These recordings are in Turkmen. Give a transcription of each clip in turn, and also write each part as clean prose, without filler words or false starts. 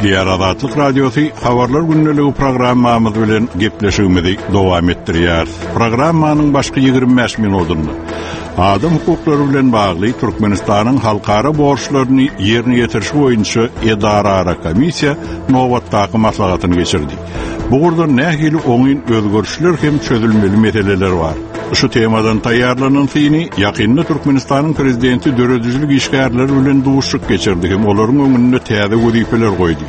Gepleýär Azatlyk Radiosy Habarlar gündeligi programmamyz bilen gepleşigimizi dowam etdirýäris. Programmanyň başky 25 minutynda adam hukuklary bilen bagly Türkmenistanyň halkara borçlaryny ýerine ýetirişi boýunça edaraara komissiýa nobatdaky maslahatyny geçirdi. Bu ugurdan nähili oňyn özgerişler hem çözülmeli meseleler bar? Şu temadan taýýarlanan syny ýakynda Türkmenistanyň Prezidenti döredijilik işgärleri bilen duşuşyk geçirdi hem olaryň öňünde täze wezipeler goýdy.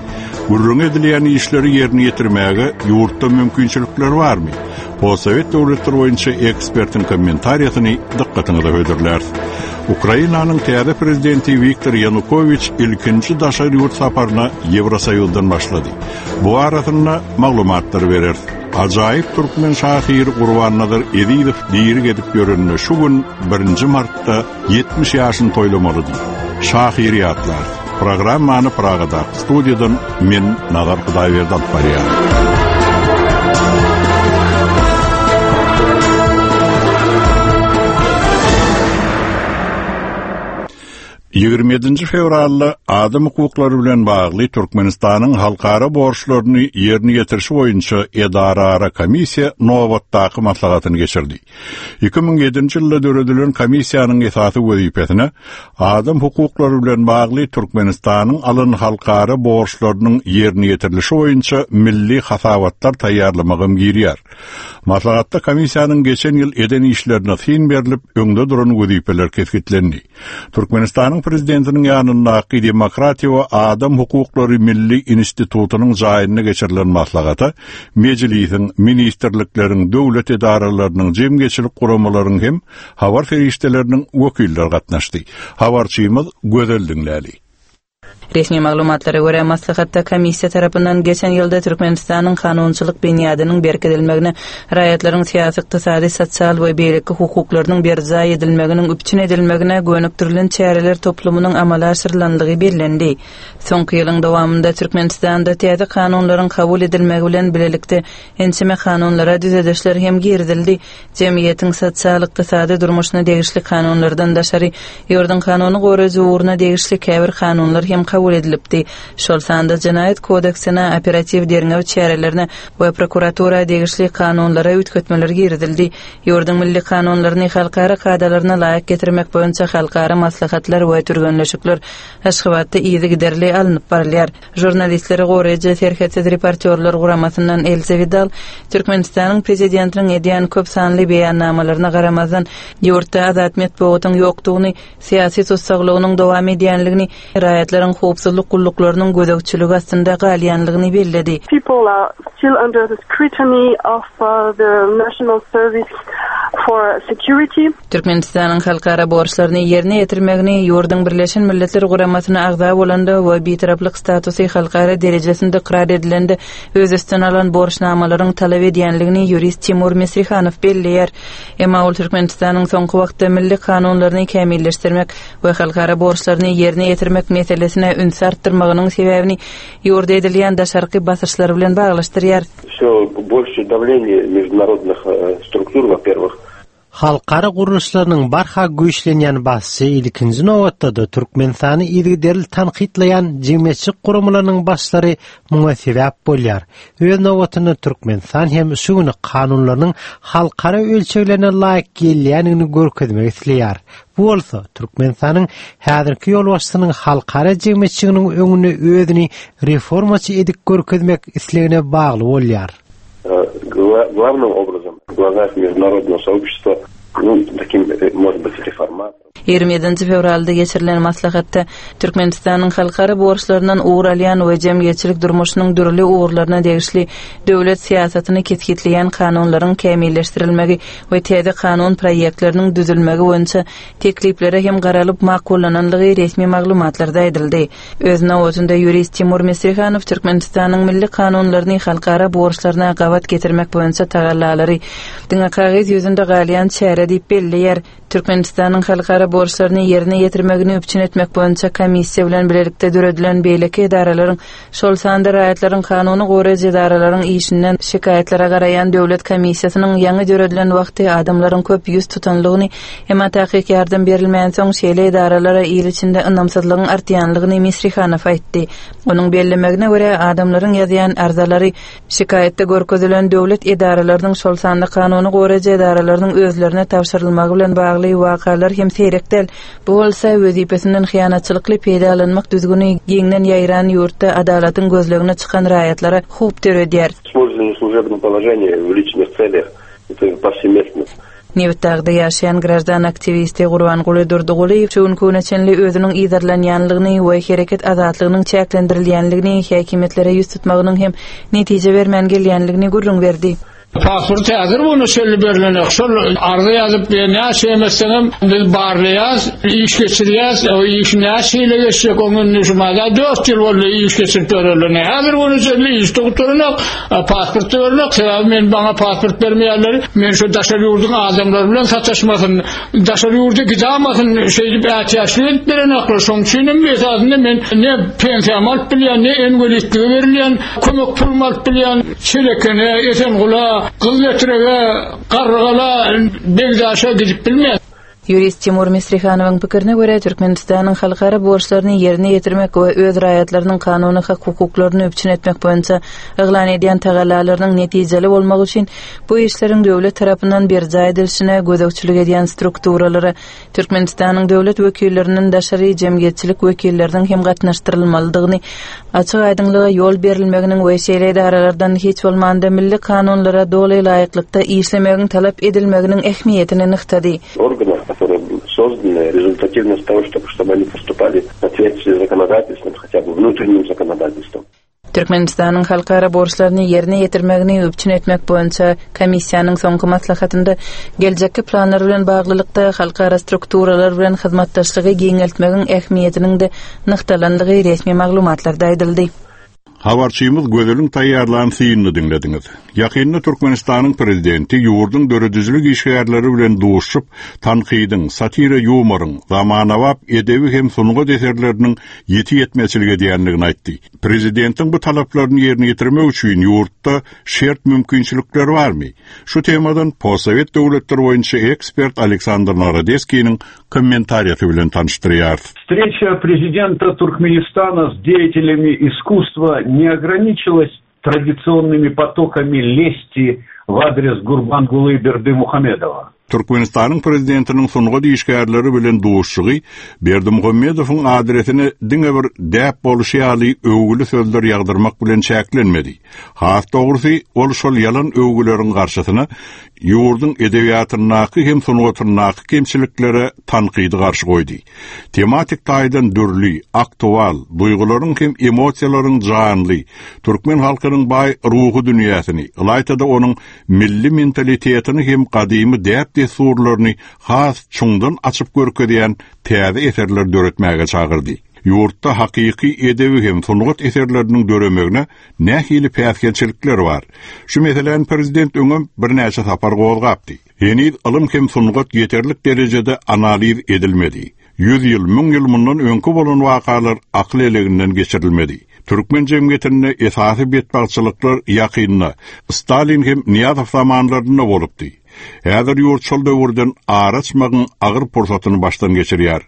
Gürrüňi edilýän işleri ýerine ýetirmäge ýurtda mümkinçilikler barmy? Postsowet döwletleri boýunça ekspertiň kommentariýasyny dykgatyňyza hödürläris. Ukrainanyň täze prezidenti Wiktor Ýanukowiç ilkinji daşary ýurt saparyna Ýewrosoýuzdan başlady. Bu barasynda maglumatlar bereris. Ajaýyp türkmen şahyry Gurbannazar Ezizow diri gezip ýörenine şu gün, birinji martda 70 ýaşyny toýlamalydy. Şahyry ýatlarys. Programmany Pragadaky studiýadan men Nazar Hudaýberdi alyp barýaryn. 27 fewralda adam hukuklary bilen bagly Türkmenistanyň halkara borçlaryny ýerine ýetirişi boýunça edaraara komissiýa nobatdaky maslahatyny geçirdi. 2007-nji ýylda döredilen komissiýanyň esasy wezipesine adam hukuklary bilen bagly Türkmenistanyň alan halkara borçlarynyň ýerine ýetirilişi boýunça milli hasabatlar taýýarlamagam girýär. Maslahatda komissiýanyň geçen ýyl eden işlerine syn berlip, öňde duran wezipeler kesgitlendi. Türkmenistanyň Prezidentiniň ýanyndaky Demokratiýa we adam hukuklary milli institutynyň jaýynda geçirilen maslahata Mejlisiň, ministrlikleriň, döwlet edaralarynyň, jemgyýetçilik guramalaryň hem habar serişdeleriniň wekilleri gatnaşdy. Habarçymyz Gözel diňläli. Resmi maglumatlara görä, maslahatda komissiýa tarapyndan geçen ýylda Türkmenistanyň kanunçylyk binýadynyň berkidilmegine, raýatlaryň syýasy, ykdysady, sosial we beýleki hukuklarynyň berjaý edilmeginiň üpjün edilmegine gönükdirilen çäreler toplumynyň amala aşyrylandygy bellendi. Soňky ýylyň dowamynda Türkmenistanda täze kanunlaryň kabul edilmegi bilen bilelikde ençeme kanunlara düzedişler hem girizildi. Jemgyýetiň sosial-ykdysady durmuşyna degişli kanunlardan daşary, ýurduň kanuny goraýjy ugruna degişli käbir kanunlar hem kabul edilipdi. Şol sanda Jenaýat kodeksine, operatiw-derňew çärelerine we prokuratura degişli kanunlara üýtgetmeler girizildi. Ýurduň milli kanunlaryny halkara kadalaryna laýyk getirmek boýunça halkara maslahatlar we türgenleşikler Aşgabatda yzygiderli alnyp barylýar. Žurnalistleri goraýjy Serhetsiz reportýorlar guramasyndan Elza Widal Türkmenistanyň prezidentiniň edýän köp sanly beýannamalaryna garamazdan, ýurtda azat metbugatyň ýokdugyny, syýasy tussaglygynyň dowam edýänligini, raýatlaryň howpsuzlyk gulluklarynyň gözegçiligi astynda galýanlygyny belledi. People are still under the scrutiny of the National Service for Security. Türkmenistanyň halkara borçlaryny ýerine ýetirmegini ýurduň Birleşen Milletler Guramasyna agza bolanda we bitaraplyk statusy halkara derejesinde ykrar edilende öz üstüne alan borçnamalaryň talap edýänligini ýurist Timur Misrihanow belleýär. Emma ol Türkmenistanyň soňky wagtda milli kanunlaryny kämilleşdirmek we halkara borçlaryny ýerine ýetirmek meselesine ünsi artdyrmagynyň sebäbini ýurda edilýän daşarky basyşlar bilen baglaşdyrýar. Все больше давление международных структур, во-первых, Halkara gurluşlarynyň barha güýçlenýän basyşy ilkinji nobatda-da Türkmenistany yzygiderli tankytlaýan jemgyýetçilik guramalarynyň başlary muňa sebäp bolýar. Öz nobatynda Türkmenistan hem şu gün kanunlarynyň halkara ölçeglerine laýyk gelýändigini görkezmek isleýär. Bu bolsa Türkmenistanyň häzirki ýolbaşçysynyň halkara jemgyýetçiliginiň öňünde özüni reformaçy edip görkezmek islegine bagly bolýar. Главным образом в глазах международного сообщества, ну, таким, может быть, реформатором. 27 fewralda geçirilen maslahatda Türkmenistanyň halkara borçlaryndan ugur alýan we jemgyýetçilik durmuşynyň dürli ugurlaryna degişli döwlet syýasatyny kesgitleýän kanunlaryň kämilleşdirilmegi we täze kanun proýektleriniň düzülmegi boýunça tekliplere hem garalyp makullananlygy resmi maglumatlarda aýdyldy. Öz nobatynda ýurist Timur Misrihanow Türkmenistanyň milli kanunlaryny halkara borçlaryna gabat getirmek boýunça tagallalary diňe kagyz ýüzünde galýan çäre. mesele diýip belleýär. Türkmenistanyň halkara borçlaryny ýerine ýetirmegini üpjün etmek boýunça komissiýa bilen bilelikde döredilen beýleki edaralaryň, şol sanda raýatlaryň kanuny goraýjy edaralaryň işinden şikaýatlara garaýan döwlet komissiýasynyň ýaňy döredilen wagty adamlaryň köp ýüz tutanlygyny, emma takyk ýardam berilmänsoň, şeýle edaralara il içinde ynamsyzlygyň artýanlygyny Misrihanow aýtdy. Onuň bellemegine görä, adamlaryň ýazýan arzalary Şikaýatda görkezilen döwlet edaralarynyň, şol sanda kanuny goraýjy edaralarynyň özlerine tabşyrylmagy bilen bagly wakalar hem seýrek däl. Bu bolsa, wezipesinden hyýanatçylykly peýdalanmak düzgüni giňden ýaýran ýurtda adalatyň gözlegine çykan raýatlara howp döredýär. Использование служебного положения в личных целях, это повсеместно. Nebitdagda ýaşaýan graždan aktiwisti Gurbanguly Durdygulyýew şu günki güne çenli özüniň yzarlanýanlygyny we hereket azatlygynyň çäklendirilýänligini, häkimiýetlere ýüz tutmagynyň hem netije bermän gelýänligini gürrüň berdi. Pasport häzir buna çenli berlenok. Şol arza ýazyp näçe hem etseňem biz barlaýas, iş geçirýäs. O iş näçe ýyla geçjek oň indi şu mada 4 ýyl boldy iş geçirip ýörerlerine. Häzir buna çenli iş gutaranok. Pasport bermek, sebäbi men maňa pasport bermeýärler. Men şu daşary ýurduň adamlary bilen sataşmasyn, daşary ýurda gidamasyn, şeýdip ätiýaçlyk edip berenoklar. Şonuň üçin hem esasynda men ne pensiýamy alyp bilýän, ne inwalidlige berilýän kömek pulumy alyp bilýän. Çelekene, Esengula, Gyzletrege, Garrygala, Begdaşa gidip bilmeýän. Ýurist Timur Misrihanowyň pikirine görä, Türkmenistanyň halkara borçlaryny ýerine ýetirmek we öz raýatlarynyň kanuny hak-hukuklaryny üpjün etmek boýunça yglan edýän tagallalarynyň netijeli bolmagy üçin bu işleriň döwlet tarapyndan berjaý edilişine gözegçilik edýän strukturalara Türkmenistanyň döwlet wekillerinden daşary jemgyýetçilik wekilleriniň hem gatnaşdyrylmalydygyny, açyk-aýdyňlyga ýol berilmeginiň we şeýle edaralardan hiç bolmanda milli kanunlara doly laýyklykda işlemegiň talap edilmeginiň ähmiýetini nygtady. Organlar, которые созданы результативность того, чтобы они поступали в соответствии с законодательством, хотя бы внутренним законодательством. Türkmenistanyň halkara borçlaryny ýerine ýetirmegini üpjün etmek boýunça komissiýanyň soňky maslahatynda geljekki planlar bilen baglylykda halkara strukturalar bilen hyzmatdaşlygy giňeltmegiň ähmiýetiniň-de nygtalandygy resmi maglumatlarda aýdyldy. Habarçymyz Gözeliň taýýarlan synyny diňlediňiz. Ýakynda Türkmenistanyň Prezidenti ýurduň döredijilik işgärleri bilen duşuşyp, tankydyň, satira-ýumoryň, zamanabap edebi hem sungat eserleriniň ýiti ýetmezçilik edýändigini aýtdy. Prezidentiň bu talaplaryny ýerine ýetirmek üçin ýurtda şert-mümkinçilikler barmy? Şu temadan postsowet döwletleri boýunça ekspert Aleksandr Narodeskiniň kommentariýasy bilen tanyşdyrýarys. Встреча prezidenta Turkmenistana с деятелями искусства не ограничилась традиционными потоками лести в адрес Гурбангулы Бердымухамедова. Türkmenistanyň Prezidentiniň sungat işgärleri bilen duşuşygy Berdimuhamedowyň adresine diňe bir däp bolşy ýaly öwgüli sözler ýagdyrmak bilen çäklenmedi. Has dogrusy, ol şol ýalan öwgüleriň garşysyna ýurduň edebiýatyndaky hem sungatyndaky kemçiliklere tankydy garşy goýdy. Tematik taýdan dürli, aktual, duýgularyň hem emosiýalaryň janly, türkmen halkynyň baý ruhy dünýäsini, ylaýta-da onuň milli mentalitetini hem gadymy däp-dessurlaryny has çuňdan açyp görkezýän täze eserler döretmäge çagyrdy. Ýurtda hakyky edebi hem sungat eserleriniň döremegine nähili päsgelçilikler bar? Şu meseläni prezident öňem birnäçe sapar gozgapdy. Heniz ylym hem sungat ýeterlik derejede analiz edilmedi. Ýüz ýyl, müň ýyl mundan öňki bolan wakalar akyl eleginden geçirilmedi. Türkmen jemgyýetinde esasy betbagtçylyklar ýakynda, Stalin hem Nyýazow zamanlarynda bolupdy. Häzir ýurt şol döwürden ar açmagyň agyr pursatyny başdan geçirýär.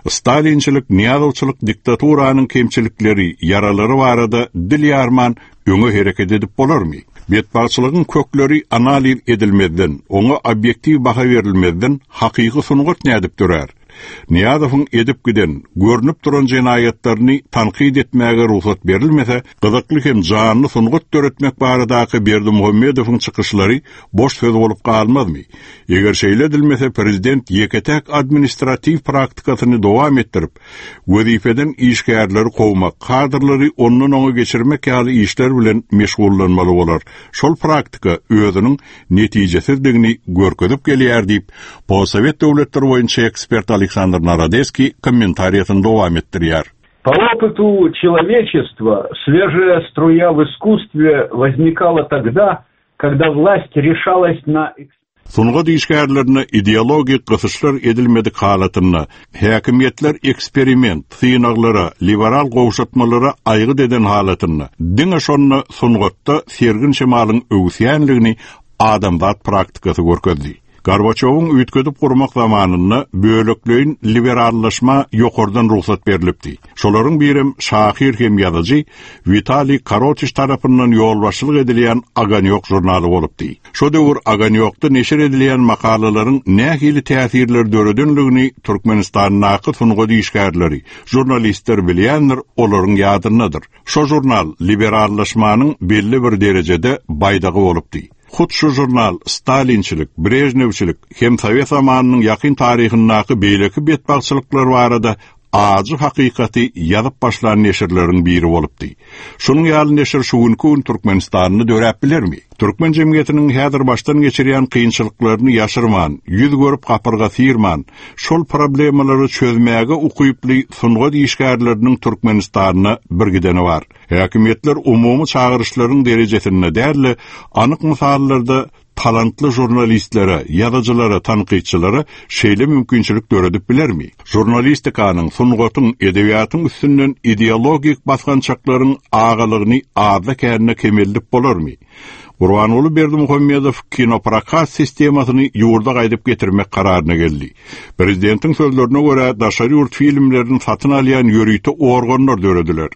Stalinçilik, Nyýazowçylyk diktaturanyň kemçilikleri, ýaralary barada dil ýarman öňe hereket edip bolarmy? Betbagtçylygyň kökleri analiz edilmezden, oňa obýektiw baha berilmezden hakyky sungat nädip dörär? Nyýazowyň edip giden, görnüp duran jenaýatlaryny tankyt etmäge rugsat berilmese, gyzykly hem janly sungat döretmek baradaky Berdimuhamedowyň çykyşlary boş söz bolup galmazmy? Eger şeýle edilmese, prezident ýeke-täk administratiw praktikasyny dowam etdirip, wezipeden işgärleri kowmak, kadrlary ondan-oňa geçirmek ýaly işler bilen meşgullanmaly bolar. Şol praktika özüniň netijesizdigini görkezip gelýär diýip, postsowet döwletleri boýunça ekspert Aleksandr Narodeskiý kommentariýasyny dowam etdirýär. По опыту человечества свежая струя в искусстве возникала тогда, когда власть решалась на. Sungat işgärlerine ideologik gysyşlar edilmedik halatynda, häkimiýetler eksperiment, synaglara, liberal gowşatmalara aýgyt eden halatynda, diňe şonda sungatda sergin şemalyň öwüsýänligini adamzat praktikasy görkezdi. Gorbaçýowyň üýtgedip gurmak zamanynda bölekleýin liberallaşma ýokardan rugsat berlipdi. Şolaryň birem şahyr hem ýazyjy Witaliý Korotiş tarapyndan ýolbaşçylyk edilýän Ogonýok žurnaly bolupdy. Şo döwür Ogonýokda neşir edilýän makalalaryň nähili täsirler döredenligini Türkmenistandaky sungat işgärleri, žurnalistler bilýändir, olaryň ýadyndadyr. Şo žurnal liberallaşmanyň belli bir derejede baýdagy bolupdy. Hut şu žurnal stalinçilik, brežnewçilik hem sowet zamanynyň ýakyn taryhyndaky beýleki betbagtçylyklar barada ajy hakykaty ýazyp başlan neşirleriň biri bolupdy. Şunuň ýaly neşir şu günki gün Türkmenistanda döräp bilermi? Türkmen jemgyýetiniň häzir başdan geçirýän kynçylyklaryny ýaşyrman, ýüz görüp gapyrga syrman, şol problemalary çözmäge ukyply sungat işgärleriniň Türkmenistanda birgideni bar. Häkimiýetler umumy çagyryşlaryň derejesinde däl-de, anyk mysallarda talantly žurnalistlere, ýazyjylara, tankytçylara şeýle mümkinçilik döredip bilermi? Žurnalistikanyň, sungatyň, edebiýatyň üstünden ideologik basgançaklaryň agalygyny azda-kände kemeldip bolarmy? Gurbanguly Berdimuhamedow kinoprokat sistemasyny ýurda gaýdyp getirmek kararyna geldi. Prezidentiň sözlerine görä, daşary ýurt filmlerini satyn alýan ýörite organlar dörediler.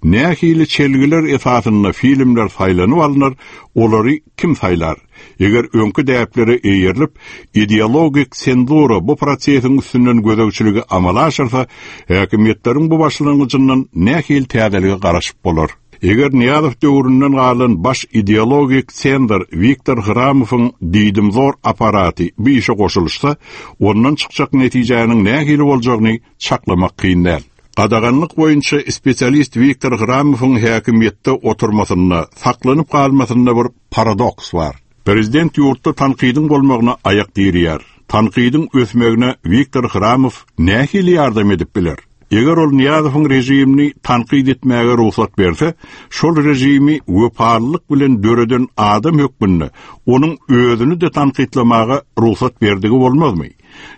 Nähili çelgiler esasynda filmler saýlanyp alnar, olary kim saýlar? Eger öňki däplere eýerilip, ideologik senzura bu prosesiň üstünden gözegçiligi amala aşyrsa, häkimiýetleriň bu başlangyjyndan nähili täzelige garaşyp bolar? Eger Nyýazow döwründen galan baş ideologik senzor Wiktor Hramowyň diýdimzor apparaty bu işe goşulyşsa, ondan çykjak netijäniň nähili boljagyny çaklamak kyn däl. Gadaganlyk boýunça spesialist Wiktor Hramowyň häkimiýetde oturmasynda, saklanyp galmasynda bir paradoks bar. Prezident ýurtda tankydyň bolmagyna aýak direýär. Tankydyň ösmegine Wiktor Hramow nähili ýardam edip biler? Eger ol Nyýazowyň režimini tankyt etmäge rugsat berse, şol režimi wepalylyk bilen döreden adam hökmünde onuň özüni-de tankytlamaga rugsat berdigi bolmazmy?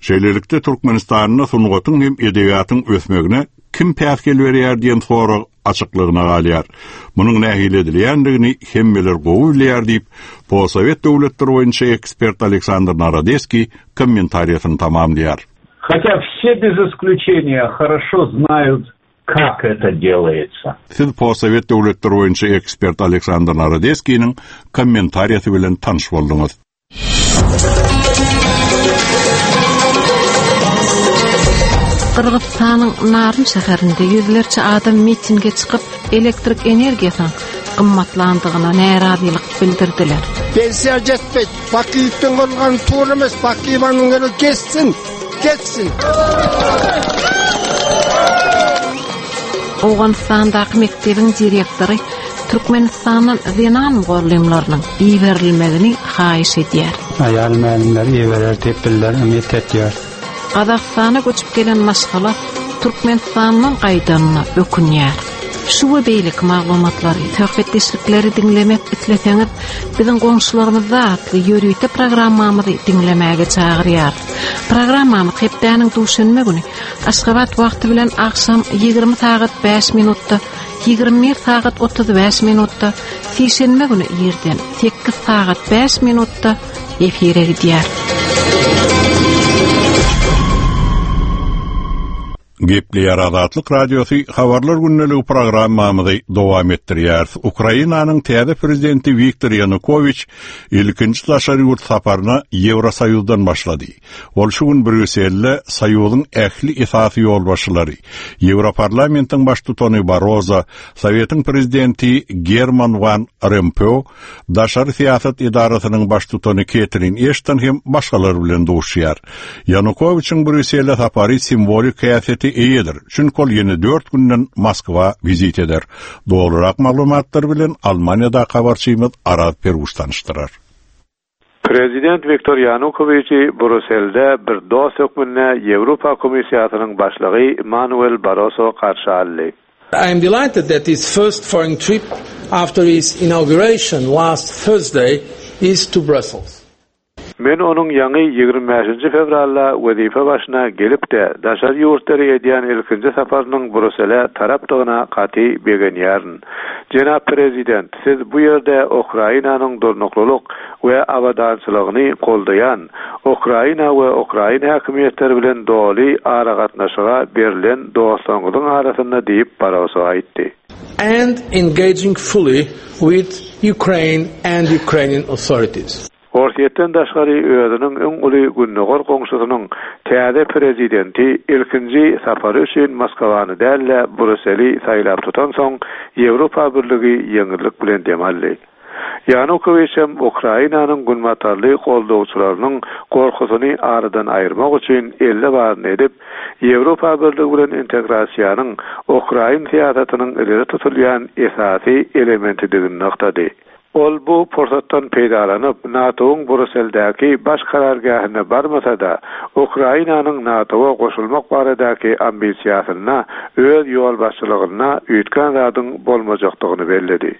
Şeýlelikde, Türkmenistanda sungatyň hem edebiýatyň ösmegine kim päsgel berýär diýen sorag açyklygyna galýar. Munuň nähili edilýändigini hemmeler gowy bilýär diýip, postsowet döwletleri boýunça ekspert Aleksandr Narodeskiý kommentariýasyny tamamlaýar. Хотя все без исключения хорошо знают, как это делается. Siz postsowet döwletleri boýunça ekspert Aleksandr Narodeskiniň kommentariýasy bilen tanyş bolduňyz. Gyrgyzystanyň Naryn şäherinde ýüzlerçe adam mitinge çykyp, elektrik energiýasynyň gymmatlandygyna närazylyk bildirdiler. Pensiýa jetmeydi. Bakiýewden bolgan tory emes. Bakiýewanyň ýeri geçsin. Geçsin. Owganystandaky mekdebiň direktory Türkmenistandan zenan mugallymlarynyň iberilmegini haýyş edýär. Aýal mälimler iberer diýip bizler umyt etýäris. Gazagystana göçüp gelen maşgala Türkmenistandan gaýdanyna ökünýär. Şu we beýleki maglumatlary, söhbetdeşlikleri diňlemek isleseňiz, biziň goňşularymyzda atly ýörite programmamyzy diňlemäge çagyrýarys. Programmamyz hepdäniň duşenbe güni Aşgabat wagty bilen agşam 20 sagat 5 minutda 21 sagat 35 minutda, sişenbe güni irden 8 sagat 5 minutda efire gidýär. Gepleýär Azatlyk Radiosy Habarlar gündeligi programmamyzy dowam etdirýäris. Ukrainanyň täze prezidenti Wiktor Ýanukowiç ilkinji daşary ýurt saparyna Ýewrosoýuzdan başlady. Ol şu gün Brýusselde Soýuzyň ähli esasy ýolbaşçylary, Ýewroparlamentiň baştutany Barrozo, Sowetiň prezidenti German Wan Rompeu, Daşary syýasat edarasynyň baştutany Ketrin Eşton hem başgalar bilen duşuşýar. Ýanukowiçiň Brýussele sapary simwolik häsiýete eýedir, çünki ol ýene dört günden Moskwa wizit eder. Dolurak maglumatlar bilen Almaniýadaky habarçymyz Araz Peruş tanyşdyrar. Prezident Wiktor Ýanukowiçi Bruselde bir dost hökmünde Ýewropa Komissiýasynyň başlygy Manuel Barroso garşy aldy. I am delighted that his first foreign trip after his inauguration last Thursday is to Brussels. Men onuň ýaňy 25-nji fewralda wezipe başyna gelip-de, daşary ýurtlary edýän ilkinji saparynyň Brusele tarapdygyna gaty begenýärin. Jenap Prezident, siz bu ýerde Ukrainanyň durnuklylyk we abadançylygyny goldaýan, Ukraina we ukrain häkimiýetleri bilen doly aragatnaşyga berlen dostlaryňyzyň arasynda diýip, Barroso aýtdy. And engaging fully with Ukraine and Ukrainian authorities. Orsýetden daşgary özüniň iň uly gündogar goňşusynyň täze prezidenti ilkinji sapary üçin Moskawany däl-de, Bruseli saýlap tutansoň, Ýewropa Birligi ýeňillik bilen dem aldy. Ýanukowiç hem Ukrainanyň günbatarly goldawçylarynyň gorkusyny aradan aýyrmak üçin elde baryny edip, Ýewropa Birligi bilen integrasiýanyň ukrain syýasatynyň ileri tutulýan esasy elementidigini nygtady. Ol bu pursatdan peýdalanyp, NATO-yň Brusseldäki baş karargähine barmasa-da, Ukrainanyň NATO-a goşulmak baradaky ambisiýasynda öz ýolbaşçylygynda üýtgän zadyň bolmajakdygyny belledi.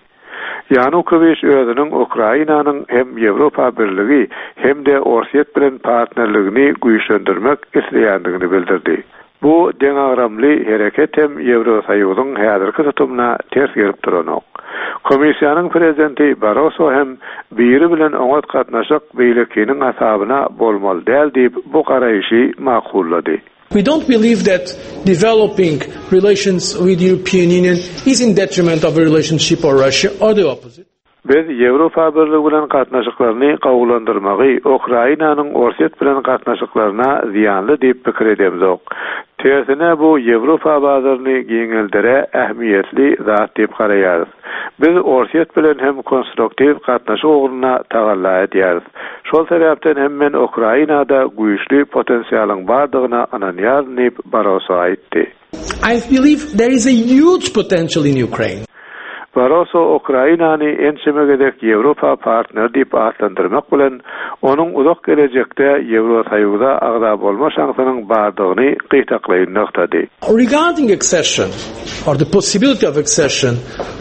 Ýanukowiç özüniň Ukrainanyň hem Ýewropa Birligi, hem-de Orsýet bilen partnerligini güýçlendirmek isleýändigini bildirdi. Bu deňagramly hereket hem Ýewrosoýuzyň häzirki tutumyna ters gelip duranok. Komissiýanyň prezidenti Barroso hem biri bilen oňat gatnaşyk beýlekiniň hasabyna bolmaly däl diýip bu garaýşy makullady. We don't believe that developing relations with European Union is in detriment of a relationship or Russia or the opposite. Biz Ýewropa Birligi bilen gatnaşyklaryny gowulandyrmagy Ukrainanyň Orsýet bilen gatnaşyklaryna zyýanly diýip pikir edemzok. Tersine bu Ýewropa bazaryny giňeldere ähmiýetli zat diýip garaýarys. Biz Orsýet bilen hem konstruktiw gatnaşyk ugrunda tagalla edýäris. Şol sebäpden hem men Ukrainada güýçli potensialyň bardygyna ynanýaryn diýip, Barroso aýtdy. I believe there is a huge potential in Ukraine. Barroso Ukrainany ençeme gezek Ýewropa partneri diýip atlandyrmak bilen, onuň uzak gelejekde Ýewrosoýuza agza bolma şansynyň bardygyny gytaklaýyn nygtady. Regarding accession or the possibility of accession,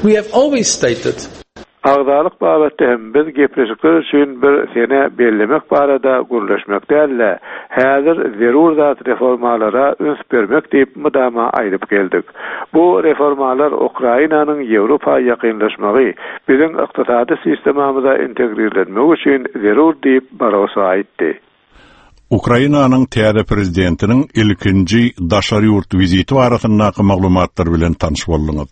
we have always stated. Agzalyk babatda hem biz gepleşikler üçin bir sene bellemek barada gürleşmek däl-de, häzir zerur zat reformalara üns bermek diýip mydama aýdyp geldik. Bu reformalar Ukrainanyň Ýewropa ýakynlaşmagy, biziň ykdysady sistemamyza integrirlenmegi üçin zerur diýip, Barroso aýtdy. Ukrainanyň täze prezidentiniň ilkinji daşary ýurt wiziti barasyndaky maglumatlar bilen tanyş bolduňyz.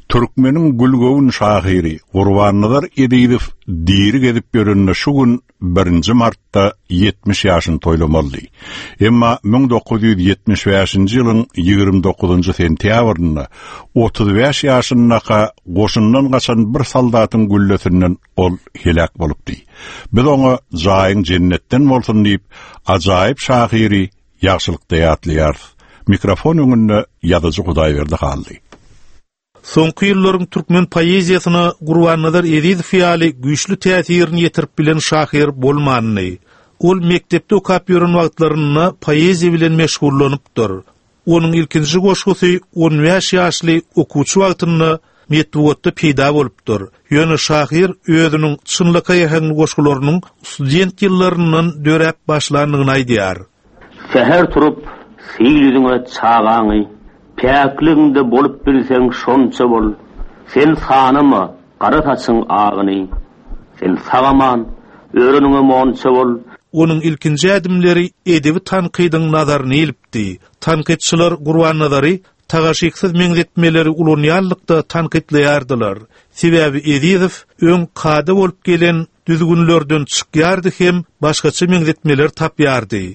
Türkmeniň gülgöwün şahyry Gurbannazar Ezizow diri gezip ýörende şu gün birinji martda 70 ýaşyny toýlamalydy. Emma 1975-nji ýylyň 29-njy sentýabrynda 35 ýaşyndaka goşundan gaçan bir soldatyň güllesinden Ol heläk bolupdy. Biz oňa jaýyň jennetden bolsun diýip, ajaýyp şahyry ýagşylykda ýatlaýarys. Mikrofon öňünde ýazyjy Hudaýberdi Hally. Soňky ýyllaryň türkmen poeziýasyna Gurbannazar Ezizow ýaly güýçli täsirini ýetirip bilen şahyr bolmandy. Ol mekdepde okap ýören wagtlarynda poeziýa bilen meşgullanypdyr. Onuň ilkinji goşgusy on bäş ýaşly okuwçy wagtynda metbugatda peýda bolupdyr. Ýöne şahyr özüniň çynlakaý äheňli goşgularynyň student ýyllaryndan döräp başlandygyny aýdýar. Säher turup, sil ýüzüňe çagaňy, Päkligiňde bolup bilseň şonça bol. Sen sanama gara saçyň agyny, Sen sag-aman, öreniňe monça bol. Onuň ilkinji ädimleri edebi tankydyň nazaryny ilipdi. Tankytçylar Gurbannazary tagaşyksyz meňzetmeleri ulanýanlykda tankytlaýardylar. Sebäbi Ezizow öň kada bolup gelen düzgünlerden çykýardy hem başgaça meňzetmeler tapýardy.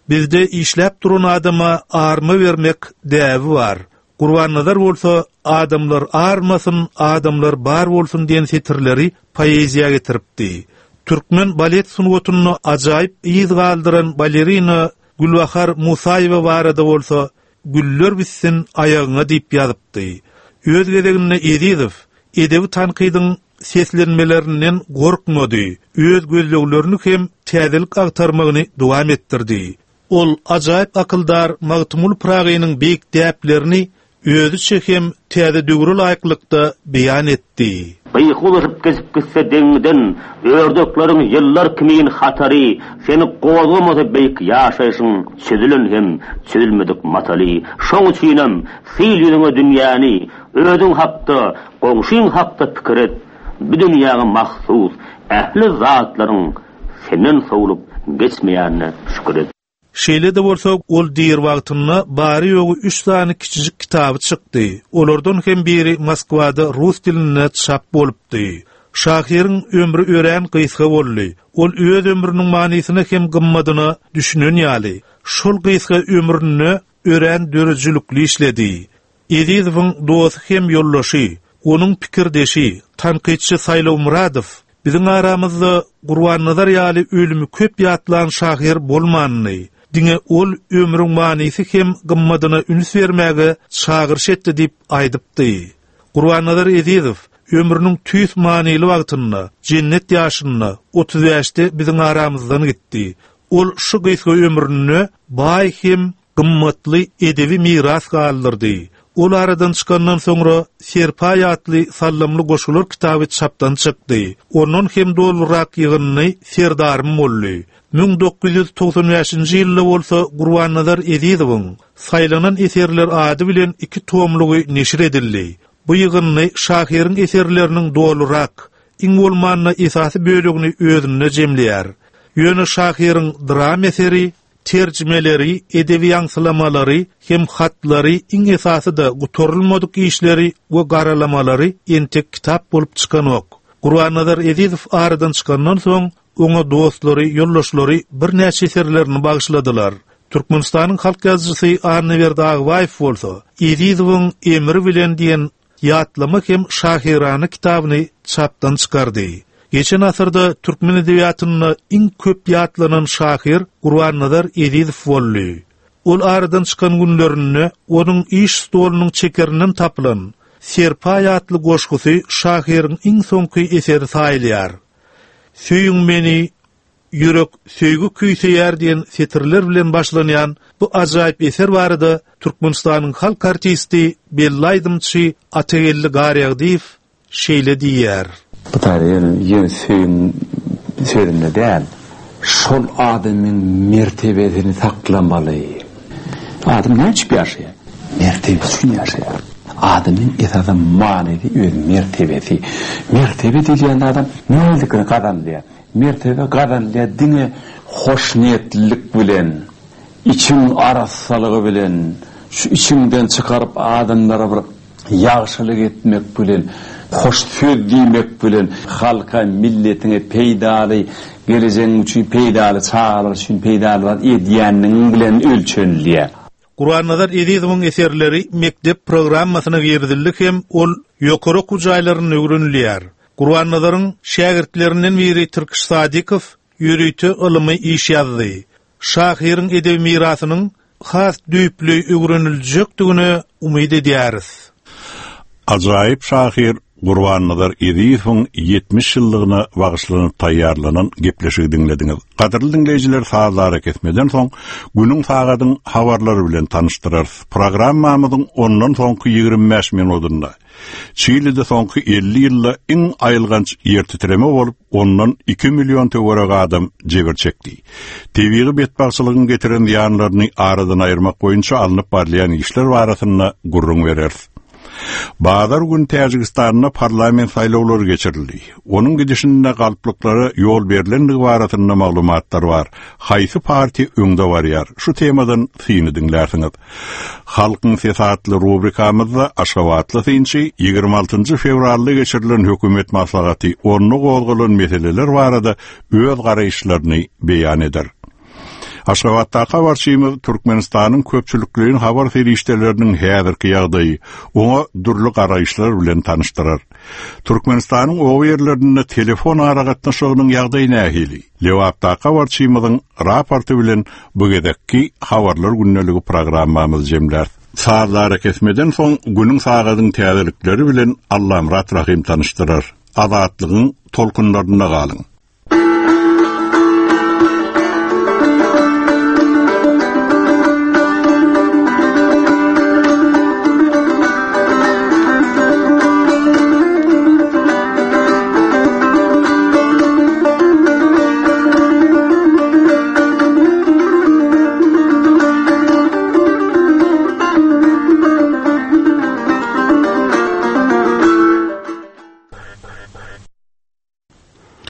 Bizde işläp duran adama arma bermek däbi bar. Gurbannazar bolsa Adamlar armasyn, adamlar bar bolsun diýen setirleri poeziýa getiripdi. Türkmen balet sungatynda ajaýyp yz galdyran balerina Gülbahar Musaýewa barada bolsa Güller bitsin aýagyňa diýip ýazypdy. Öz gezeginde Ezizow edebi tankydyň seslenmelerinden gorkmady, öz gözleglerini hem täzelik agtarmagyny dowam etdirdi. Ol ajaýyp akyldar Magtymguly Pyragynyň beýik däplerini özüçe hem täze döwre laýyklykda beýan etdi. Gyky uzaşyp geçip gitse deňiňden, Ördekleriň ýyllar kimin hatary, Seni gozgamasa beýik ýaşaýşyň Çözülen hem çözülmedik mataly. Şoň üçinem, sil ýüzüňe dünýäni, Özüň hakda, goňşyň hakda pikir et, Bu dünýäňe mahsus ähli zatlaryň Senden sowlup geçmeýänine şükür et. Şeýle-de bolsa, ol diri wagtynda bary-ýogy üç sany kiçijik kitaby çykdy. Olardan hem biri Moskwada rus dilinde çap bolupdy. Şahyryň ömri örän gysga boldy. Ol öz ömrüniň manysyna hem gymmadyna düşünen ýaly, şol gysga ömründe örän döredijilikli işledi. Ezizowyň dosty hem ýoldaşy, onuň pikirdeşi, tankytçy Saýlaw Myradow Biziň aramyzda Gurbannazar ýaly ölümi köp ýatlan şahyr bolmandy. Diňe ol ömrüň manysy hem gymmadyna üns bermäge çagyryş etdi diýip aýdypdy. Gurbannazar Ezizow ömrüniň tüýs manyly wagtynda, jennet ýaşynda, 35-de biziň aramyzdan gitdi. Ol şu gysga ömründe baý hem gymmatly edebi miras galdyrdy. Ol aradan çykandan soňra Serpaý atly sallamly goşgular kitaby çapdan çykdy. Ondan hem dolurak ýygyndy Serdarym boldy. 1995-nji ýylda bolsa Gurbannazar Ezizowyň Saýlanan eserler ady bilen iki tomlugy neşir edildi. Bu ýygyndy şahyryň eserleriniň dolurak, iň bolmanda esasy bölegini özünde jemleýär. Ýöne şahyryň dram eseri Terjimeleri, edebi ýaňsylamalary hem hatlary, iň esasy-da gutarylmadyk işleri we garalamalary entek kitap bolup çykanok. Gurbannazar Ezizow aradan çykandan soň, oňa dostlary, ýoldaşlary birnäçe eserlerini bagyşladylar. Türkmenistanyň halk ýazyjysy Annaberdi Agbaýew bolsa, Ezizowyň emri bilen diýen Ýatlama hem şahyrana kitabyny çapdan çykardy. Geçen asyrda türkmen edebiýatynda iň köp ýatlanan şahyr Gurbannazar Ezizow boldy. Ol aradan çykan günlerinde onuň iş stolunyň çekerinden tapylan Serpaý atly goşgusy şahyryň iň soňky eseri saýylýar. Söýüň meni, Ýürek söýgi küýseýär diýen setirler bilen başlanýan bu ajaýyp eser barada Türkmenistanyň halk artisti, belli aýdymçy Atageldi Garýagdyýew şeýle diýýär. Bu taýda ýöne ýöne söýgiň sözünde däl, şol adamyň mertebesini saklamaly. Adam näme üçin ýaşaýar? Mertebesi üçin ýaşaýar. Adamyň esasy manysy öz mertebesi. Mertebe diýilýän zadam nähililikde gazanylýar? Mertebe gazanylýar diňe hoşniýetlilik bilen, içiň arassalygy bilen, şu içiňden çykaryp adamlara bir ýagşylyk etmek bilen, hoş söz diýmek bilen, halka, milletiňe peýdaly, gelejegiň üçin peýdaly, çagalar üçin peýdaly zat edýänligiň bilen ölçenilýär. Gurbannazar Ezizowyň eserleri mekdep programmasyna girizildi hem ol ýokary okuw jaýlarynda öwrenilýär. Gurbannazaryň şägirtlerinden biri Tirkiş Sadykow ýörite ylymy iş ýazdy. Şahyryň edebi mirasynyň has düýpli öwreniljekdigine umyt edýäris. Ajaýyp şahyr Gurbannazar Ezizowyň 70 ýyllygyna bagyşlanyp taýýarlanan gepleşigi diňlediňiz. Gadyrly diňleýjiler sazly arakesmeden soň günüň sagadyň habarlary bilen tanyşdyrarys. Programmamyzyň ondan soňky 25 minudynda Çilide soňky 50 ýylda iň aýylganç ýertitreme bolup, ondan 2 million töweregi adam jebir çekdi. Tebigy betbagtçylygyň getiren zyýanlaryny aradan aýyrmak boýunça alnyp barylýan işler barasynda gürrüň bereris. Bazar gün Täjigistanda parlament saýlawlary geçirildi. Onuň gidişinde galplyklara ýol berlendigi barasynda maglumatlar bar. Haýsy partiýa öňde barýar? Şu temadan syny diňlärsiňiz. Halkyň sesi atly rubrikamyzda aşgabatly synçy 26-njy fewralda geçirilen hökümet maslahaty, onda gozgalan meseleler barada öz garaýyşlaryny beýan eder. Aşgabatdaky habarçymyz Türkmenistanyň köpçülikleýin habar serişdeleriniň häzirki ýagdaýy, oňa dürli garaýyşlar bilen tanyşdyrar. Türkmenistanyň oba ýerlerinde telefon aragatnaşygynyň ýagdaýy nähili? Lebapdaky habarçymyzyň raporty bilen bu gezekki Habarlar gündeligi programmamyzy jemläris. Sazly arakesmeden soň günüň sagadyň täzelikleri bilen Allamyrat Rahym tanyşdyrar. Azatlygyň tolkunlarynda galyň!